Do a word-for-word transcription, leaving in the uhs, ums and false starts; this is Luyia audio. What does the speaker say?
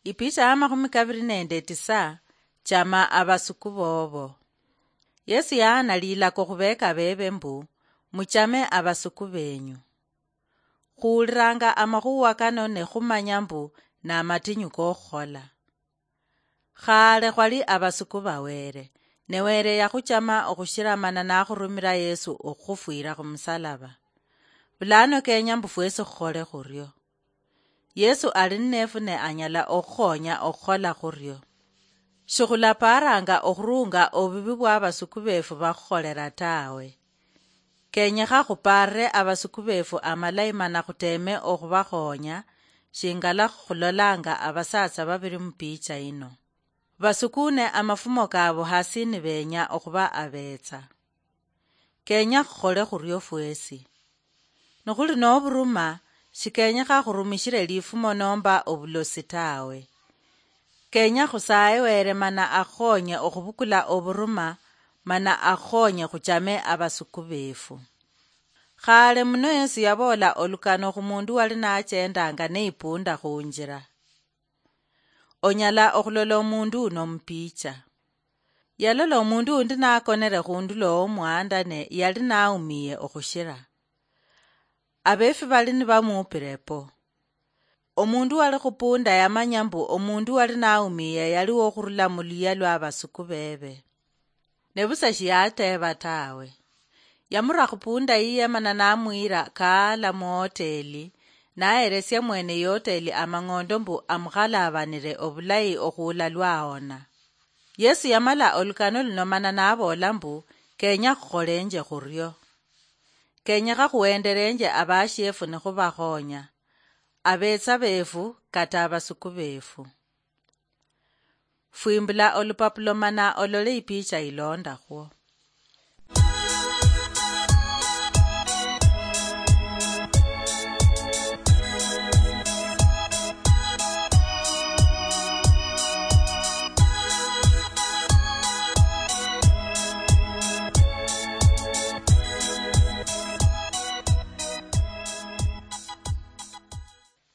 Ipicha ya makhumi kaviri nende tisa, chama avasuku vovo. Yesu yaana lilako khuveeka veeve mbu, "Muchame avasuku veenyu." Khuuliranga amakhuwa kano ne khumanya mbu namatinyu kokhukhola. Khale khwali avasuku va Wele, ne Wele yakhuchama okhushira mana nakhurumira Yesu okhufwira khumusalaba. Bulano kenya mbu fwesi khukhole khurio. Yesu ali nnefu ne anyala okhukhonya okhukhola khurio. Shikhulapaaranga okhurunga obubi bwa abasuku beefu bakhukholera tawe. Kenyekha khupaarire abasuku beefu amalayi mana khuteeme okhubakhonya, shingala khulolanga abasaatsa babiri mu picha yino. Basukune amafumo kaabu hasi nibeenya okhuba abeetsa. Kenya khukhole khurio fwesi. Nikhuli noburuma, shikenyekha khurumishire lifumo nomba obulosi tawe. Kenya khusaye Wele mana akhukhonye okhubukula oburuma, mana akhukhonye khuchame abasuku beefu. Khale muno Yesu yaboola olukano khumundu wali nachendanga neipunda khunjira. Onyala okhulola omundu uno mupicha. Yalola omundu undi nakonere khundulo womuhanda ne yali naumiye okhushira. Abeefi bali nibamuupire po. Omundu wali khupunda yamanya mbu omundu wali naumiye yali wokhurula muluyia lwa abasuku bebe. Ne busa shiyateeba tawe. Yamura khupunda yiye mana namuyira kaala muhoteli, naheresia mwene ihoteli amang'ondo mbu amukhalabanire obulayi okhuula lwahona. Yesu yamala olukano luno mana naboola mbu, "Kenya khukholenje khurio. Kenyekha khuhendelenje abashiefu nikhubakhonya, abetsa beefu kata abasuku beefu." Fwimbula olupapulo mana olole ipicha ilondakhwo.